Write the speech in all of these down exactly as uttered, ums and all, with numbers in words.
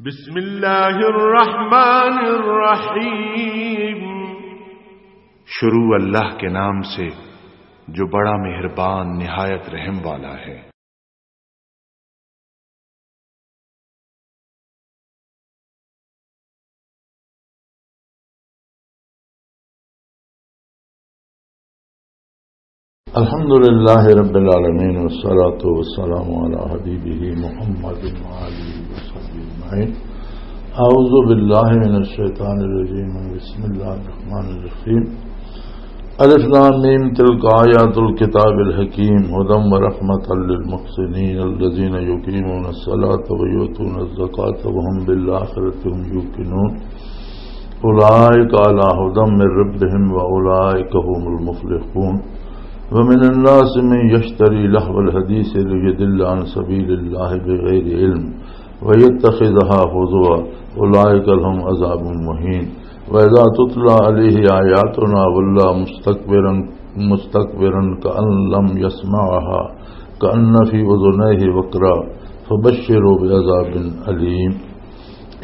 بسم اللہ الرحمن الرحیم۔ شروع اللہ کے نام سے، جو بڑا مہربان، نہایت رحم والا ہے۔ الحمد لله رب العالمين، والصلاة والسلام على حبيبه محمد وآله وصحبه أجمعين. أعوذ بالله من الشيطان الرجيم. بسم الله الرحمن الرحيم. الف لام ميم، تلك آيات الكتاب الحكيم، هدى ورحمة للمحسنين، الذين يقيمون الصلاة ويؤتون الزكاة وهم بالآخرة هم يوقنون. أولئك على هدى من ربهم وأولئك هم المفلحون. ومن الناس من يشتري لهو الحديث ليضل عن سبيل الله بغير علم ويتخذها هزوا، أولئك لهم عذاب مهين. وإذا تتلى عليه آياتنا ولى مستكبرا، مستكبرا كأن لم يسمعها، كأن في أذنيه وقرا، فبشره بعذاب أليم.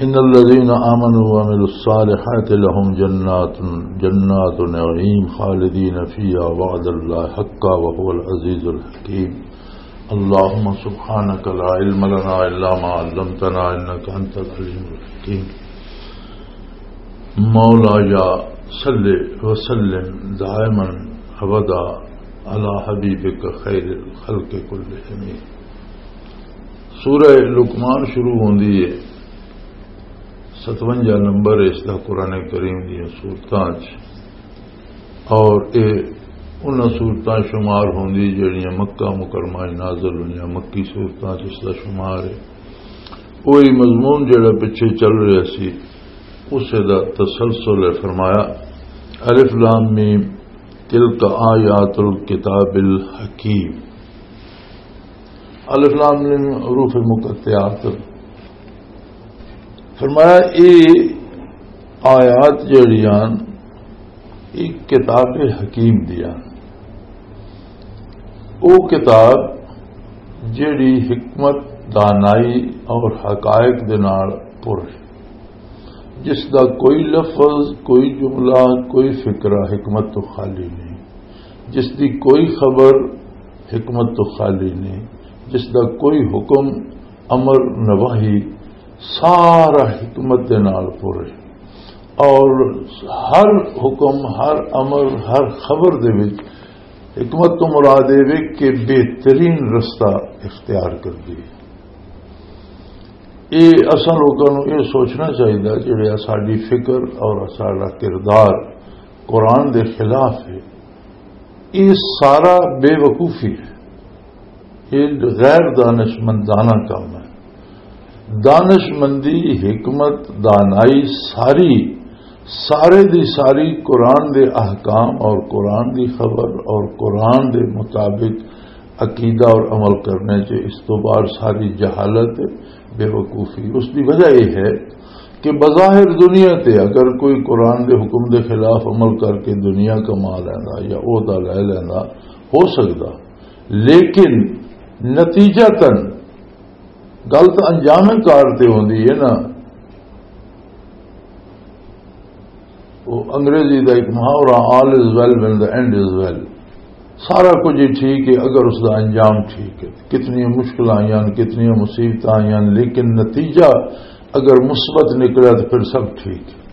إن الذين آمنوا وعملوا الصالحات لهم جنات، جنات نعيم خالدين فيها وعد الله حقا وهو العزيز الحكيم. اللهم سبحانك لا علم لنا إلا ما علمتنا إنك أنت العليم الحكيم. مولاي صل وسلم دائما أبدا على حبيبك خير الخلق كلهم. سورہ لقمان شروع ہوندی ہے، ستونجا نمبر اس دا قرآن کریم دیاں سورتاں چ، اور اے انہاں سورتاں شمار ہوندی جڑیاں مکہ مکرمہ وچ نازل ہوئیاں، مکی سورتاں چ اس دا شمار ہے۔ وہی مضمون جڑا پچھے چل رہا سی، اسے دا تسلسل ہے۔ فرمایا، الف لام میم، تلک آیات الکتاب الحکیم۔ الف لام میم حروف مقطعات۔ فرمایا، اے آیات جڑیاں ایک کتاب حکیم دیاں، او کتاب جڑی حکمت، دانائی اور حقائق دے نال پر ہے، جس دا کوئی لفظ، کوئی جملہ، کوئی فقرہ حکمت تو خالی نہیں، جس دی کوئی خبر حکمت تو خالی نہیں، جس دا کوئی حکم، امر، نواہی سارا حکمت دے نال پر ہے۔ اور ہر حکم، ہر امر، ہر خبر دے وچ حکمت تو مراد اے وے کہ بہترین رستہ اختیار کر دی۔ اے اساں لوکاں نوں اے سوچنا چاہیدا جڑے ساڈی فکر اور ساڈا کردار قرآن دے خلاف ہے، یہ سارا بے وقوفی ہے، یہ غیر دانش مندانہ کام ہے۔ دانش مندی، حکمت، دانائی ساری، سارے دی ساری قرآن دے احکام اور قرآن دی خبر اور قرآن دے مطابق عقیدہ اور عمل کرنے چ، اس تو باہر ساری جہالت، بے وقوفی۔ اس دی وجہ یہ ہے کہ بظاہر دنیا تے اگر کوئی قرآن دے حکم دے خلاف عمل کر کے دنیا کما لیندا یا عہدہ لے لیندا، ہو سکدا، لیکن نتیجہ تن گل تاں انجام کار تے ہوندی ہے نا۔ وہ انگریزی دا ایک محاورہ، "All is well when the end is well"، سارا کچھ ہی ٹھیک ہے اگر اس دا انجام ٹھیک ہے۔ کتنی مشکل آئیاں، کتنی مصیبت آئیاں، لیکن نتیجہ اگر مثبت نکلا تو پھر سب ٹھیک ہے۔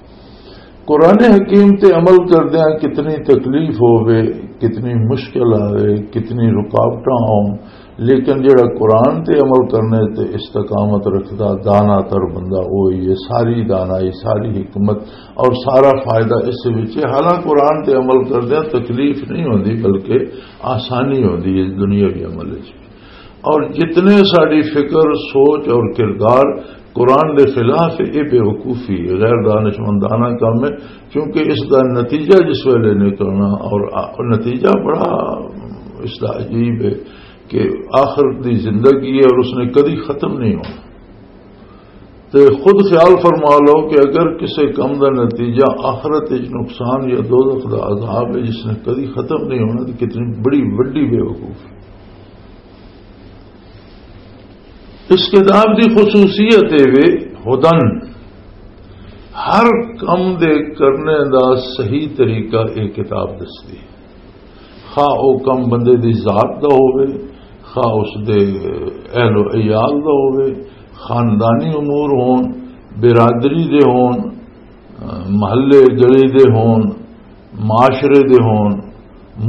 قرآن حکیم تے عمل کردیاں کتنی تکلیف ہووے، کتنی مشکل آوے، کتنی رکاوٹاں آؤن، لیکن جڑا قرآن تے عمل کرنے تے استقامت رکھدا، دانا تر بندہ، وہی ہے۔ ساری دانائی، ساری حکمت اور سارا فائدہ اس وچ ہے۔ حالانکہ قرآن تے عمل کردیاں تکلیف نہیں ہوندی، بلکہ آسانی ہوندی ہے دنیاوی عمل وچ۔ اور جتنے ساری فکر، سوچ اور کردار قرآن دے خلاف ہے، یہ بے وقوفی ہے، غیر دانشمندانہ کام ہے، کیونکہ اس دا نتیجہ جس ویلے نکلنا، اور آ-، نتیجہ بڑا اس دا عجیب ہے کہ آخرت دی زندگی ہے اور اس نے کدی ختم نہیں ہونا۔ تے خود خیال فرما لو کہ اگر کسے کم دا نتیجہ آخرت وچ نقصان یا دوزخ دا عذاب ہے جس نے کدی ختم نہیں ہونا، تو کتنی بڑی وڈی بے وقوفی۔ اس کتاب دی خصوصیت اے وے، ہدن، ہر کم دے کرنے دا صحیح طریقہ اے کتاب دسدی۔ خواہ او کم بندے دی ذات دا ہووے، خواہ اس دے اہل و عیال دا ہووے، خاندانی امور ہون، برادری دے ہون، محلے گلی دے ہون، معاشرے دے ہون،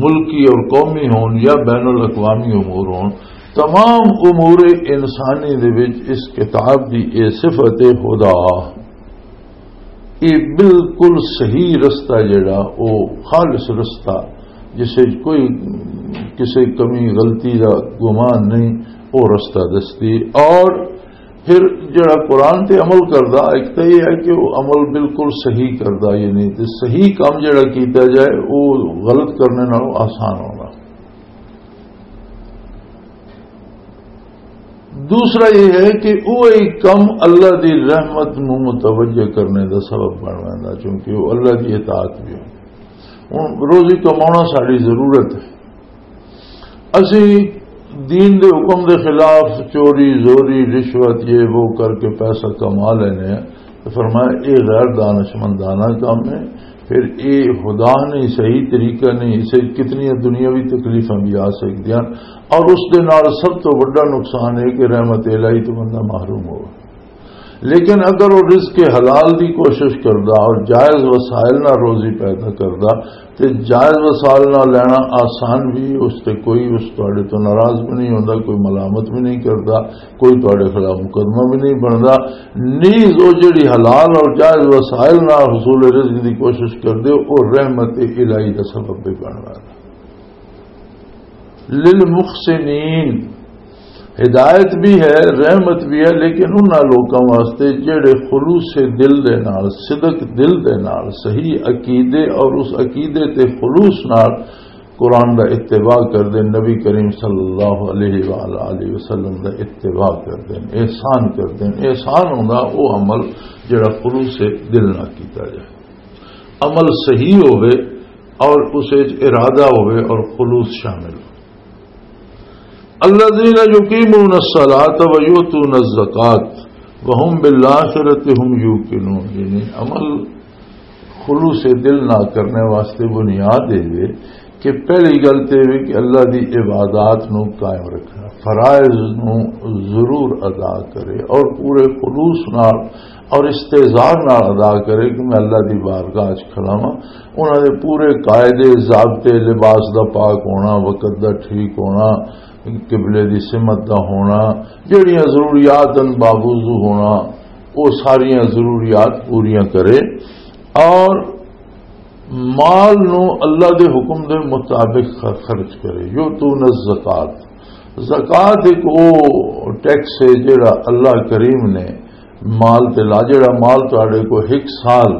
ملکی اور قومی ہون یا بین الاقوامی امور ہون، تمام امور انسانی دے وچ اس کتاب دی اے صفت ہدا، اے بالکل صحیح رستہ جڑا، او خالص رستہ، جس وچ کوئی کسی کمی غلطی دا گمان نہیں، او رستہ دستی۔ اور پھر جڑا قرآن تے عمل کردا، ایک تو یہ ہے کہ وہ عمل بالکل صحیح کردا، یعنی تے صحیح کام جڑا کیتا جائے، وہ غلط کرنے نالوں آسان ہونا۔ دوسرا یہ ہے کہ وہ ایک کم اللہ دی رحمت نو متوجہ کرنے دا سبب بن ویندا، چونکہ وہ اللہ دی اطاعت بھی ہو۔ ہن روزی کمانا ساری ضرورت ہے، اسی دین دے حکم دے خلاف چوری، زوری، رشوت، یہ وہ کر کے پیسہ کما لینے ہیں۔ تو فرمایا، یہ غیر دانشمندانہ کام ہے۔ پھر یہ خدا نہیں، صحیح طریقہ نہیں، اسے کتنی دنیاوی تکلیفاں بھی آ سکتی ہیں۔ اور اس دے نال سب تو بڑا نقصان ہے کہ رحمت الہی تو بندہ محروم ہو۔ لیکن اگر وہ رزق حلال دی کوشش کردا اور جائز وسائل نال روزی پیدا کردا، تے جائز وسائل نال لینا آسان بھی، اس تے کوئی اس تواڈے تو ناراض بھی نہیں ہوندا، کوئی ملامت بھی نہیں کردا، کوئی تواڈے خلاف مقدمہ بھی نہیں بندا۔ نیز وہ جڑی حلال اور جائز وسائل نال حصول رزق دی کوشش کردے، وہ رحمت الہی دا سبب بھی بندا۔ للمحسنین، ہدایت بھی ہے، رحمت بھی ہے، لیکن انہاں لوکاں واسطے جڑے خلوص دل دے نال، صدق دل دے نال، صحیح عقیدے اور اس عقیدے تے خلوص نال قرآن دا اتباع کر دین، نبی کریم صلی اللہ علیہ وآلہ وسلم دا اتباع کر دین، احسان کر دین۔ احسان ہوندا او عمل جڑا خلوص دل نال کیتا جائے، عمل صحیح ہوئے اور اس وچ ارادہ ہوئے اور خلوص شامل ہو۔ الذين يقيمون الصلاة ويؤتون الزكاة وهم بالآخرة هم يوقنون، یعنی عمل خلوص دل نہ کرنے واسطے بنیاد ہے کہ پہلی گل تے یہ کہ اللہ دی عبادات نو قائم رکھنا، فرائض نو ضرور ادا کرے اور پورے خلوص نال اور استحضار نال ادا کرے کہ میں اللہ دی بارگاہ وچ کھڑا ہاں۔ انہاں دے پورے قاعدے، ضابطے، لباس دا پاک ہونا، وقت دا ٹھیک ہونا، قبلے دی سمت دا ہونا، جڑیاں ضروریات ان باوضو ہونا، وہ ساریاں ضروریات پوریاں کرے اور مال نو اللہ دے حکم دے مطابق خ-، خرچ کرے۔ یؤتون الزکات، زکات ایک او ٹیکس ہے جڑا اللہ کریم نے مال تے لا، جڑا مال تہاڈے کو ایک سال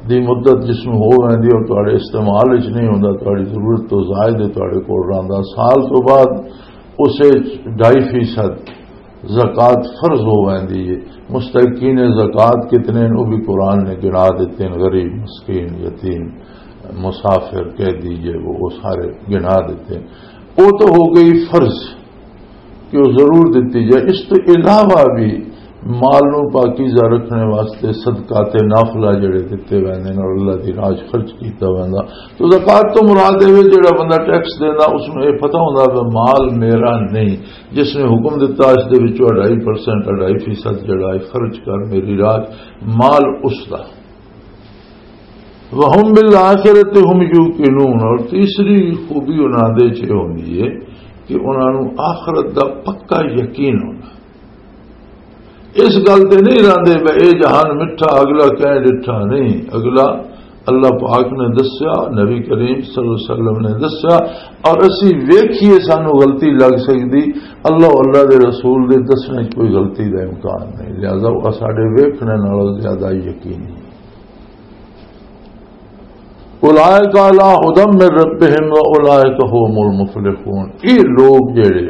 دی مدت جس نو ہو ویندی اور تہاڈے استعمال وچ نہیں ہوندا، تہاڈی ضرورت تو زائد ہے، تہاڈے کول رہندا، سال تو بعد اسے ڈھائی فیصد زکوٰۃ فرض ہو ویندی ہے۔ مستحقین زکوٰۃ کتنے ہیں، وہ بھی قرآن نے گنا دیتے ہیں، غریب، مسکین، یتیم، مسافر، قیدی، یہ وہ، وہ سارے گنا دیتے ہیں۔ وہ تو ہو گئی فرض کہ وہ ضرور دیتی جائے۔ اس تو علاوہ بھی مال نو پاکیزہ رکھنے واسطے صدقات نافلہ جڑے دیتے ویندے نے اور اللہ دی راہ 'چ خرچ کیتا ویندا۔ تو زکوٰۃ تو مراد ہے جڑا بندہ ٹیکس دیندا، اس نوں یہ پتہ ہوندا کہ مال میرا نہیں، جس نے حکم دتا اس دے وچوں اڑھائی پرسنٹ، اڑھائی فیصد جڑا ہے خرچ کر میری راہ 'چ، مال اس دا۔ وَهُمْ بِالْآخِرَةِ هُمْ يُوقِنُونَ، اور تیسری خوبی انہاں دے چ یہ ہوندی ہے کہ انہاں نوں آخرت دا پکا یقین ہونا۔ اس گل تے نہیں رہندے بھئی اے جہان مٹھا، اگلا کہیں ڈٹھا نہیں، اگلا اللہ پاک نے دسیا، نبی کریم صلی اللہ علیہ وسلم نے دسیا، اور اسی ویکھیے سانو غلطی لگ سکدی، اللہ، اللہ دے رسول دے دسنے 'چ کوئی غلطی دا امکان نہیں، لہذا وہ ساڈے ویکھنے نالوں زیادہ یقینی ہے۔ اولئک علی ھدی من ربہم و اولئک ھم المفلحون۔ یہ لوگ جڑے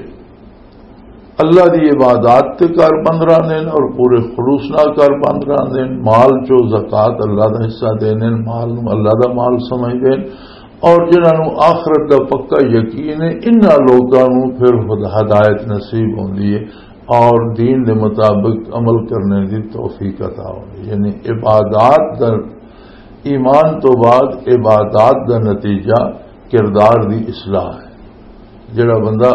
اللہ دی عبادات تے کار بند رہندے نے اور پورے خلوص نال کار بند رہندے نے، مال چو زکوٰۃ اللہ دا حصہ دیندے نے، مال نو اللہ دا مال سمجھدے نے، اور جنہاں نو آخرت دا پکا یقین ہے، انہاں لوکاں نو پھر ہد-، ہدایت نصیب ہوندی ہے۔ اور دین دے مطابق عمل کرنے دی توفیق عطا ہوے۔ یعنی عبادات دا، ایمان تو بعد عبادات دا نتیجہ کردار دی اصلاح ہے۔ جڑا بندہ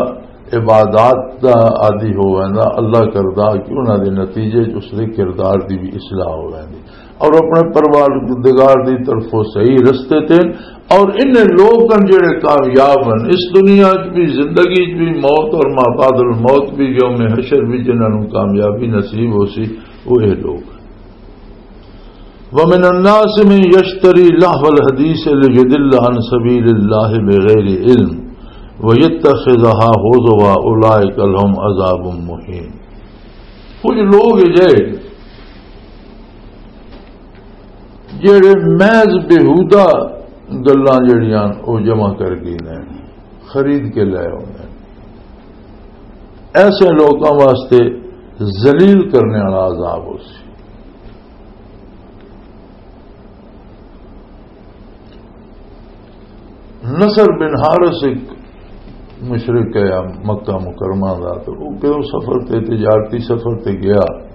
عبادات دا عادی ہو ویندا، اللہ کردا کہ انہاں دے نتیجے چ اس دے کردار دی بھی اصلاح ہو ویندی، اور اپنے پروردگار دی طرفوں صحیح رستے تے۔ اور انہیں لوگ ہن جڑے کامیاب ہن اس دنیا چ بھی، زندگی چ بھی، موت اور ما بعد الموت بھی، یوم حشر بھی، جنہاں نوں کامیابی نصیب ہو سی، وہ یہ لوگ ہن۔ وَمِنَ النَّاسِ مَن يَشْتَرِي لَهْوَ الْحَدِيثِ لِيُضِلَّ عَن سَبِيلِ اللَّهِ بِغَيْرِ عِلْمٍ وَيَتَّخِذَهَا هُزُوًا أُولَٰئِكَ لَهُمْ عَذَابٌ مُّهِينٌ۔ کچھ لوگ اجے جڑے محض بیہودہ گلاں جڑیاں او جمع کر گئے نے، خرید کے لے آؤندے نے۔ ایسے لوکاں واسطے ذلیل کرنے والا عذاب ہو سی۔ نصر بن حارث ایک مشرک ہے مکہ مکرمہ دا، تو وہ کہو سفر تے، تجارتی سفر تے گیا،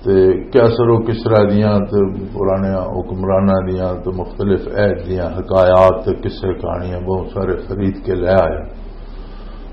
تے کیسر و کسرا دیاں تے پرانے حکمراناں دیاں تے مختلف عہد دیاں حکایات تے قصے کہانیاں بہت سارے خرید کے لے آیا۔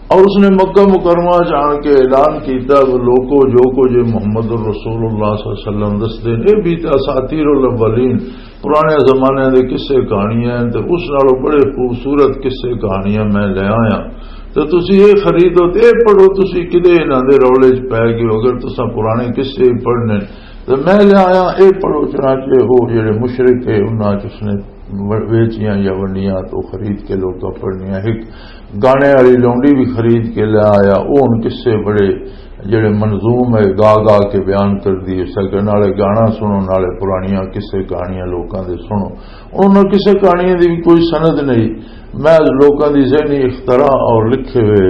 اور اس نے مکہ مکرمہ چ آن کے اعلان کیتا، "وہ لوکو، جو کچھ یہ محمد الرسول اللہ صلی اللہ علیہ وسلم دسدے نے، یہ بھی تے اساطیر الاولین، پرانے زمانے دے قصے کہانیاں ہیں، تے اس نالوں بڑے خوبصورت قصے کہانیاں میں لے آیا۔ تے تسی یہ خریدو تے یہ پڑھو، تسی کدے انہاں دے رولے چ پے گئے ہو؟ اگر تساں پرانے قصے ہی پڑھنے تے میں لے آیا، یہ پڑھو۔" چنانچہ وہ جڑے مشرک ہے، انہاں چ اس نے و-، ویچیاں یا ونڈیاں تو خرید کے لوکاں پڑھنیاں۔ ایک گانے والی لونڈی بھی خرید کے لے آیا۔ وہ ہن قصے بڑے جڑے منظوم ہے، گا گا کے بیان کر دی، اس طرح نالے گانا سنو، نالے پرانیاں قصے کہانیاں لوکاں دے سنو۔ انہاں قصے کہانیاں دی بھی کوئی سند نہیں، محض لوکاں دی ذہنی اختراع اور لکھے ہوئے،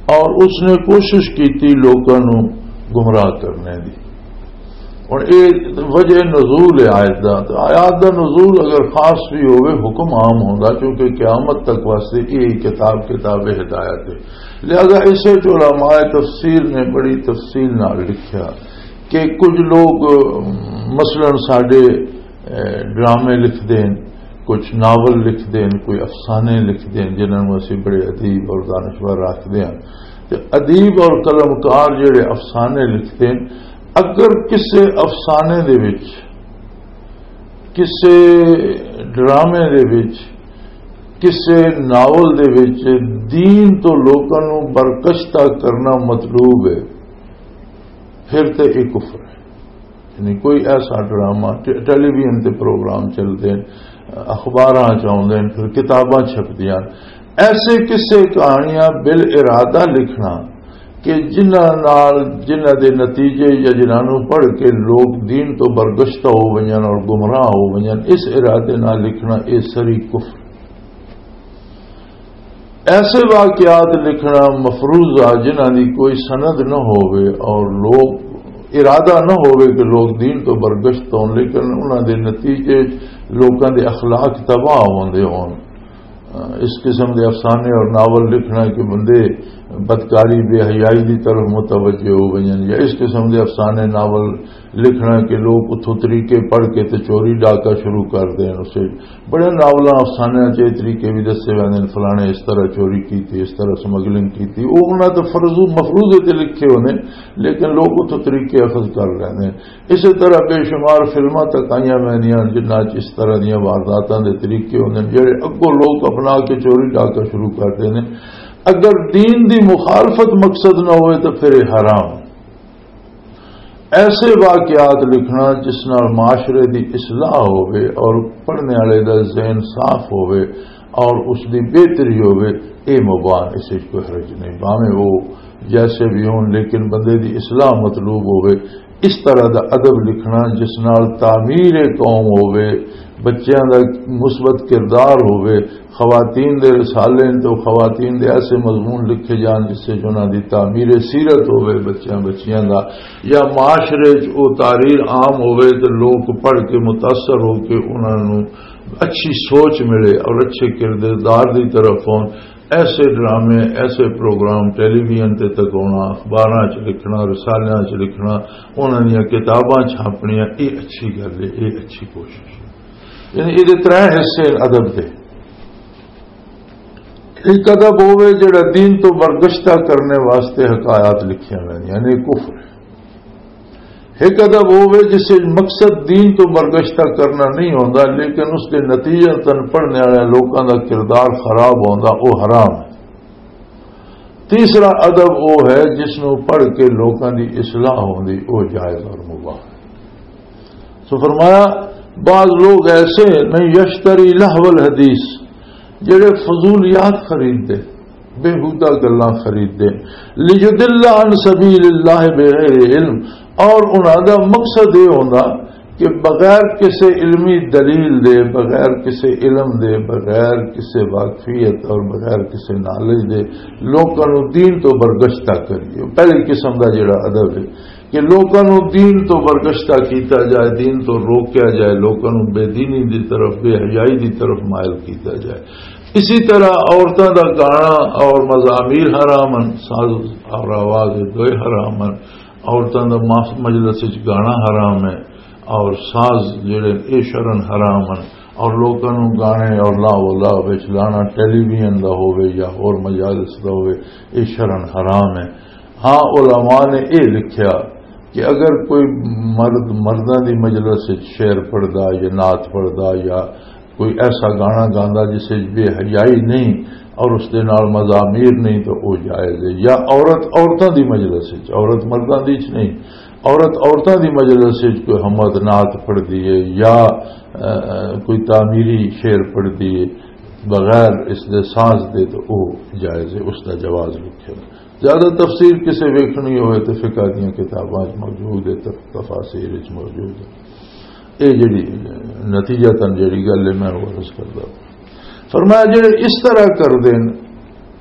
اور اس نے کوشش کی تھی لوکاں نو گمراہ کرنے دی۔ ہن اے وجہ نزول ہے آیت دا۔ تے آیات دا نزول اگر خاص بھی ہوئے، حکم عام ہوندا، کیونکہ قیامت تک واسطے یہ کتاب، کتاب ہدایت ہے۔ لہذا اسے چ علماء تفسیر نے بڑی تفصیل نال لکھیا کہ کچھ لوگ، مثلاً ساڈے، اے، ڈرامے لکھ دین، کچھ ناول لکھ دین، کوئی افسانے لکھ دین، جنہاں نوں اسی بڑے ادیب اور دانشور آکھدے ہاں۔ تے ادیب اور قلمکار جڑے افسانے لکھدے ہن، اگر کسے افسانے دے وچ، کسے ڈرامے دے وچ، کسے ناول دے وچ دین تو لوکاں نوں برگشتہ کرنا مطلوب ہے، پھر تے یہ کفر ہے۔ یعنی کوئی ایسا ڈرامہ، ٹے-، ٹیلی ویژن تے پروگرام چلدے ہن، اخباراں چ آوندے ہن، پھر کتاباں چھپدیاں ہن۔ ایسے قصے کہانیاں بال ارادہ لکھنا کہ جنہاں نال، جنہاں دے نتیجے یا جنہاں نوں پڑھ کے لوگ دین تو برگشتہ ہو ونجن اور گمراہ ہو ونجن، اس ارادے نال لکھنا، اے سری کفر۔ ایسے واقعات لکھنا مفروضہ جنہاں دی کوئی سند نہ ہووے اور لوگ، ارادہ نہ ہووے کہ لوگ دین تو برگشت ہون، لیکن انہاں دے نتیجے لوکاں دے اخلاق تباہ ہوندے ہون۔ اس قسم دے افسانے اور ناول لکھنا کہ بندے بدکاری، بے حیائی دی طرف متوجہ ہو ونجن، یا اس قسم دے افسانے، ناول لکھنا کہ لوگ اتھوں طریقے پڑھ کے تے چوری ڈاکہ شروع کر دین۔ اسے بڑے ناولاں، افسانیاں چ یہ طریقے بھی دسے ویندے نے، فلانے اس طرح چوری کیتی، اس طرح سمگلنگ کیتی۔ وہ انہاں تے فرض و مفروضے تے لکھے ہوندے، لیکن لوگ اتھوں طریقے اخذ کر لیندے نے۔ اسی طرح بے شمار فلماں تک آئیاں ویندیاں جنہاں چ اس طرح دیاں وارداتاں دے طریقے ہوندے نے، جڑے اگوں لوگ اپنا کے چوری ڈاکہ شروع کر دیندے۔ اگر دین دی مخالفت مقصد نہ ہوئے تو پھر یہ حرام۔ ایسے واقعات لکھنا جس نال معاشرے دی اصلاح ہووے اور پڑھنے والے دا ذہن صاف ہووے اور اس دی بہتری ہووے، اے مباح، اس وچ کوئی حرج نہیں، بھاویں وہ جیسے بھی ہون، لیکن بندے دی اصلاح مطلوب ہووے۔ اس طرح دا ادب لکھنا جس نال تعمیر قوم ہووے، بچیاں دا مثبت کردار ہووے، خواتین دے رسالے تے خواتین دے ایسے مضمون لکھے جان جس سے انہاں دی تعمیر سیرت ہووے بچیاں بچیاں دا، یا معاشرے چ او تحریر عام ہووے تے لوگ پڑھ کے متاثر ہو کے انہاں نوں اچھی سوچ ملے اور اچھے کردار دی طرف ہون۔ ایسے ڈرامے، ایسے پروگرام ٹیلی ویژن تے تکاونا، اخباراں چ لکھنا، رسالیاں چ لکھنا، انہاں دیاں کتاباں چھاپنیاں، یہ اچھی گل ہے، یہ اچھی کوشش ہے۔ یعنی یہ ترے حصے ادب دے۔ ایک ادب ہوے جڑا دین تو برگشتہ کرنے واسطے حکایات لکھیاں ویندیاں، یعنی کفر۔ ایک ادب ہوے جس وچ مقصد دین تو برگشتہ کرنا نہیں ہوندا، لیکن اس دے نتیجے تن پڑھنے والے لوکاں دا کردار خراب ہوندا، او حرام ہے۔ تیسرا ادب او ہے جس نو پڑھ کے لوکاں دی اصلاح ہوندی، او جائز اور مباح ہے۔ سو فرمایا، بعض لوگ ایسے ہیں، من یشتری لہو الحدیث، جڑے فضولیات خرید دے، بیہودہ گلاں خرید دے، لیضل عن سبیل اللہ بغیر علم، اور انہاں دا مقصد یہ ہوندا کہ بغیر کسے علمی دلیل دے، بغیر کسے علم دے، بغیر کسے واقفیت اور بغیر کسے نالج دے لوکاں نوں دین تو برگشتہ کریے۔ پہلی قسم دا جڑا ادب ہے کہ لوکاں نوں دین تو برگشتہ کیتا جائے، دین تو روکیا جائے، لوکاں نوں بے دینی دی طرف، بے حیائی دی طرف مائل کیتا جائے۔ اسی طرح عورتاں دا گانا اور مزامیر حرام ہن، ساز اور آواز دوئے حرام ہن۔ عورتاں دا ماس-، مجلس وچ گانا حرام ہے اور ساز جڑے اے شرن حرام ہن، اور لوکاں نوں گانے اور لا ولا وچ لانا، ٹیلی ویژن دا ہووے یا ہور مجالس دا ہووے، اے شرن حرام ہے۔ ہاں، علماء نے اے لکھیا کہ اگر کوئی مرد مرداں دی مجلس وچ شعر پڑھدا یا نعت پڑھدا یا کوئی ایسا گانا گاندا جس وچ بے حیائی نہیں اور اس دے نال مزامیر نہیں تو وہ جائز ہے، یا عورت عورتاں دی مجلس وچ، عورت مرداں دی وچ نہیں، عورت عورتاں دی مجلس وچ کوئی حمد نعت پڑھدی ہے یا، اہ، کوئی تعمیری شعر پڑھدی ہے بغیر اس دے ساز دے تو وہ جائز ہے، اس دا جواز لکھے۔ زیادہ تفسیر کسے ویکھنی ہوئے تے فقہ دیاں کتاباں وچ موجود ہے، تف-، تفاسیر وچ موجود ہے۔ اے جڑی نتیجہ تن جڑی گل ہے میں وہ عرض کردا۔ فرمایا جڑے اس طرح کر دین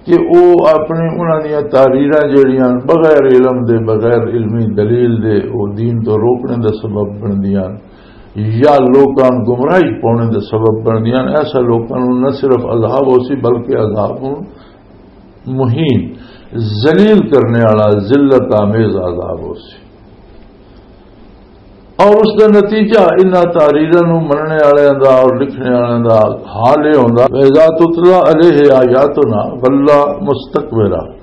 کہ او اپنے انہاں دیاں تحریراں جڑیاں بغیر علم دے، بغیر علمی دلیل دے، او دین تو روکنے دا سبب بندیاں یا لوکاں نوں گمراہی پاؤنے دا سبب بندیاں، ایسا لوکاں نوں نہ صرف عذاب ہو سی بلکہ عذاب ہوں مہین، ذلیل کرنے والا، ذلت آمیز عذاب ہو سی۔ اور اس دا نتیجہ انہاں تحریراں نوں مننے والےاں دا اور لکھنے والےاں دا حال یہ ہوندا، "وَإِذَا تُتْلَى عَلَيْهِ آيَاتُنَا وَلَّى مُسْتَكْبِرًا۔"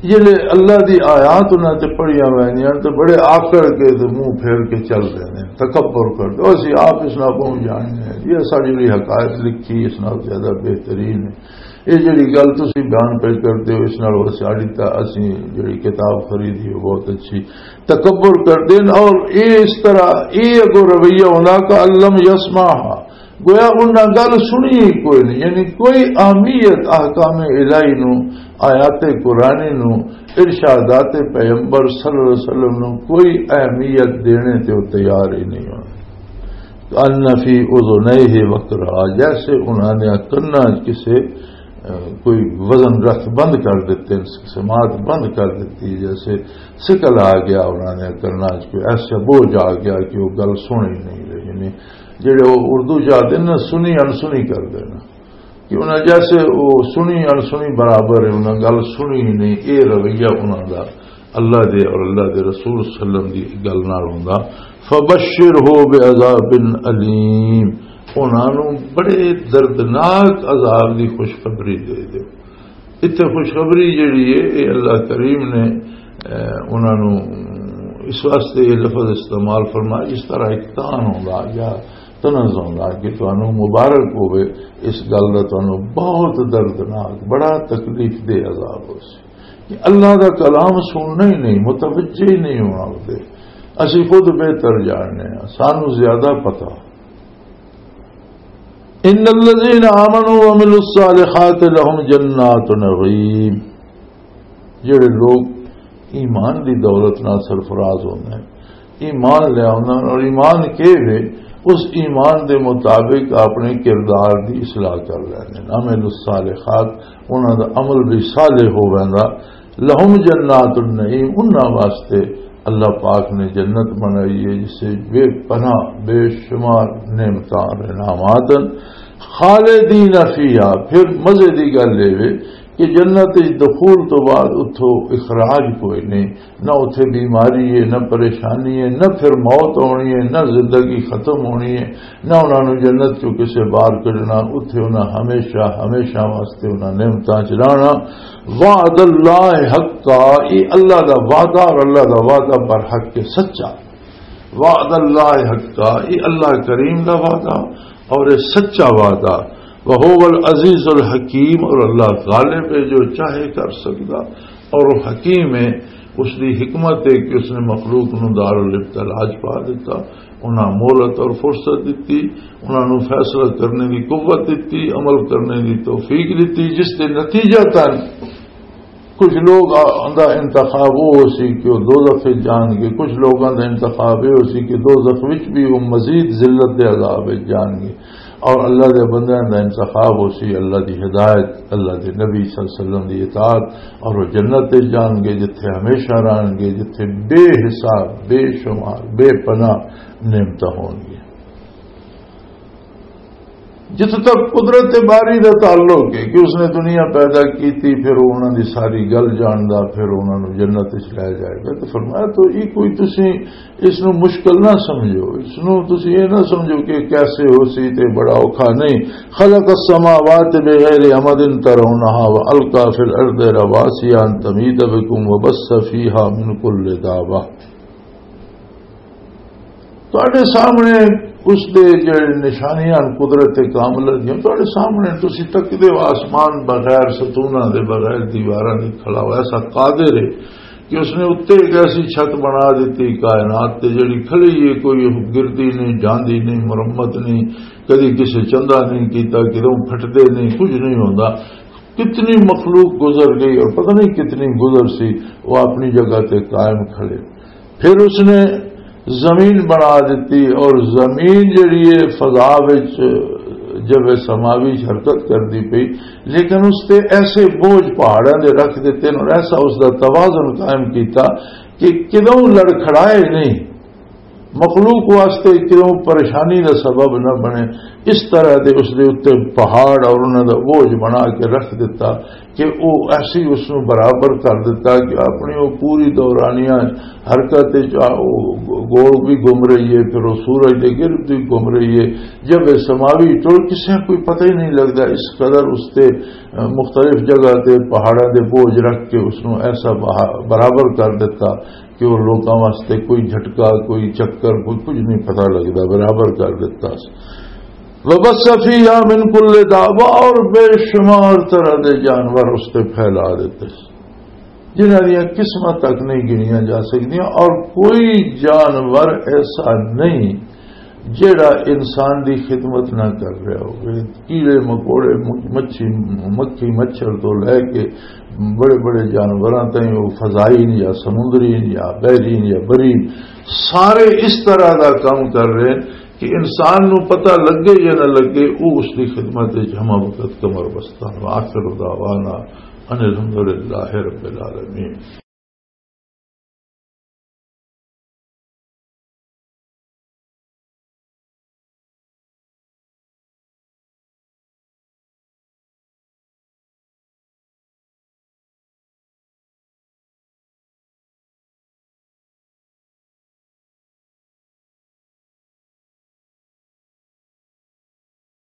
جلے اللہ دی آیات انہاں تے پڑھیاں ویندیاں تے بڑے آکڑ کے تے منہ پھیر کے چل رہے ہیں، تکبر کر دے، "اسی آپ اس نال بہت جاننے ہیں، یہ ساڈی جڑی حقائق لکھی اس نال زیادہ بہترین ہے۔" یہ جڑی گل تسی بیان پہ کردے ہو، اس نال ساڈی تا اسی جڑی کتاب خریدی ہو بہت اچھی۔ تکبر کردے نے اور اے اس طرح اے اگو رویہ ہونا کہ الم یسمعها، گویا انہاں گل سنی ہی کوئی نہیں، یعنی کوئی اہمیت احکام الہی نو، آیات قرآنی نو، ارشادات پیغمبر صلی اللہ علیہ وسلم نو کوئی اہمیت دینے تے وہ تیار ہی نہیں ہونا۔ کأن فی اذنیہ وقرا، جیسے انہاں نے کناں وچ کسے، اہ، کوئی وزن رکھ بند کر دیتے، سماعت بند کر دیتی، جیسے سکل آ گیا انہاں نے کناں وچ، کوئی ایسا بوجھ آ گیا کہ وہ گل سن ہی نہیں رہی۔ یعنی جڑے وہ اردو چ آتے نا، سنی انسنی کر دینا۔ کہ انہاں جیسے وہ سنی انسنی برابر ہے، انہاں گل سنی ہی نہیں۔ اے رویہ انہاں دا اللہ دے اور اللہ دے رسول صلی اللہ علیہ وسلم دی گل نال ہوندا۔ فبشرہ بعذاب الیم، انہاں نوں بڑے دردناک عذاب دی خوشخبری دے دے۔ اتھے خوشخبری جڑی ہے، اے اللہ کریم نے، اے، انہاں نوں اس واسطے یہ لفظ استعمال فرمایا، جس طرح ایک تان ہوندا یا تنز ہوندا کہ تانوں مبارک ہوے، اس گل دا تانوں بہت دردناک، بڑا تکلیف دہ عذاب ہو سی۔ کہ اللہ دا کلام سننا ہی نہیں، متوجہ ہی نہیں ہونا ہوتے۔ اسی خود بہتر جاننے ہیں، سانوں زیادہ پتہ۔ ان الذین آمنوا وعملوا الصالحات لهم جنات نعیم، جڑے لوگ ایمان دی دولت نال سرفراز ہوندے ہیں، ایمان لے آندے ہیں اور ایمان کے وے اس ایمان دے مطابق اپنے کردار دی اصلاح کر لیندے ہیں۔ عمل الصالحات، انہاں دا عمل بھی صالح ہو ویندا۔ لہم جنات النعیم، انہاں واسطے اللہ پاک نے جنت بنائی ہے جسے بے پناہ بے شمار نعمتاں اور انعامات ہیں۔ خالدین فیہا، پھر مزے دی گل یہ وے کہ جنت وچ دخول تو بعد اتھوں اخراج کوئی نہیں، نہ اتھے بیماری ہے، نہ پریشانی ہے، نہ پھر موت ہونی ہے، نہ زندگی ختم ہونی ہے، نہ انہاں نوں جنت چوں کسے باہر کڈنا۔ اتھے انہاں ہمیشہ، ہمیشہ واسطے انہاں نعمتاں چ رہنا۔ وعد اللہ حقا، یہ اللہ دا وعدہ، اور اللہ دا وعدہ برحق کے سچا۔ وعد اللہ حقا، یہ اللہ کریم دا وعدہ اور یہ سچا وعدہ۔ وہو العزیز الحکیم، اور اللہ غالب ہے، جو چاہے کر سکدا، اور وہ حکیم ہے۔ اس دی حکمت ہے کہ اس نے مخلوق نو دار الابتلاء چ پا دیتا، انہاں مہلت اور فرصت دتی، انہاں نو فیصلہ کرنے دی قوت دتی، عمل کرنے دی توفیق دتی، جس دے نتیجہ تن کچھ لوگ آ-، دا انتخاب وہ ہو سی کہ وہ دوزخ وچ جان گے، کچھ لوگاں دا انتخاب یہ ہو سی کہ دوزخ وچ بھی وہ مزید ذلت دے عذاب وچ جان گے، اور اللہ دے بندیاں دا انتخاب ہو سی اللہ دی ہدایت، اللہ دے نبی صلی اللہ علیہ وسلم دی اطاعت، اور وہ جنت وچ جان گے، جتھے ہمیشہ رہن گے، جتھے بے حساب، بے شمار، بے پناہ نعمتاں ہون گے۔ جتھے تک قدرت باری دا تعلق ہے کہ اس نے دنیا پیدا کیتی، پھر وہ انہاں دی ساری گل جاندا، پھر انہاں نوں جنت وچ لے جائے گا۔ تو فرمایا، تو یہ کوئی تسی اس نوں مشکل نہ سمجھو، اس نوں تسی یہ نہ سمجھو کہ کیسے ہو سی تے بڑا اوکھا نہیں۔ خلق السماوات بغیر عمد ترونها والقا فی الارض رواسي ان تميد بكم وبث فيها من كل دابة۔ تہاڈے سامنے اس دے جڑے نشانیاں ہن قدرت کاملہ دیاں، تہاڈے سامنے تسی تکدے ہو آسمان بغیر ستوناں دے، بغیر دیواراں دے کھڑا ہوا، ایسا قادر ہے کہ اس نے اتنے ایک ایسی چھت بنا دیتی کائنات تے، جڑی کھڑی ہے، کوئی گردی نہیں، جاندی نہیں، مرمت نہیں، کدی کسے چندہ نہیں کیتا، کدوں پھٹدے نہیں، کچھ نہیں ہوندا۔ کتنی مخلوق گزر گئی اور پتہ نہیں کتنی گزر سی، وہ اپنی جگہ تے قائم کھڑے۔ پھر اس نے زمین بنا دیتی، اور زمین جڑی ہے فضا وچ جب سماوی حرکت کردی پئی، لیکن اس تے ایسے بوجھ پہاڑاں دے رکھ دیتے ہیں اور ایسا اس دا توازن قائم کیتا کہ کدوں لڑکھڑائے نہیں، مخلوق واسطے کدوں پریشانی دا سبب نہ بنے۔ اس طرح دے اس دے اُتے پہاڑ اور انہاں دا بوجھ بنا کے رکھ دیتا کہ او ایسی اس نوں برابر کر دیتا کہ اپنی او پوری دورانیہ حرکت وچ آ-، او گول بھی گھوم رہی ہے، پھر او سورج دے گرد بھی گھوم رہی ہے۔ جب اے سماوی ٹول کسے کوئی پتہ ہی نہیں لگدا، اس قدر اس تے، آ، مختلف جگہ تے پہاڑاں دے بوجھ رکھ کے اس نوں ایسا بہا-، برابر کر دیتا کہ وہ لوکاں واسطے کوئی جھٹکا، کوئی چکر، کوئی کچھ نہیں پتہ لگدا، برابر کر دیتا۔ وَبَثَّ فِيهَا مِن كُلِّ دَابَّةٍ، اور بے شمار طرح دے جانور اس تے پھیلا دیتے، جنہاں دیاں قسماں تک نہیں گنیاں جا سکدیاں، اور کوئی جانور ایسا نہیں جیڑا انسان دی خدمت نہ کر رہا ہوگا۔ کیڑے مکوڑے، م-، مچھی، مکھی، مچھر تو لے کے بڑے بڑے جانوراں تائیں، وہ فضائین یا سمندرین یا بحرین یا برین، سارے اس طرح دا کام کر رہے ہیں کہ انسان نو پتہ لگے یا نہ لگے، وہ اس دی خدمت وچ ہمہ وقت کمر بستہ۔ وآخر دعوانا ان الحمد للہ رب العالمین۔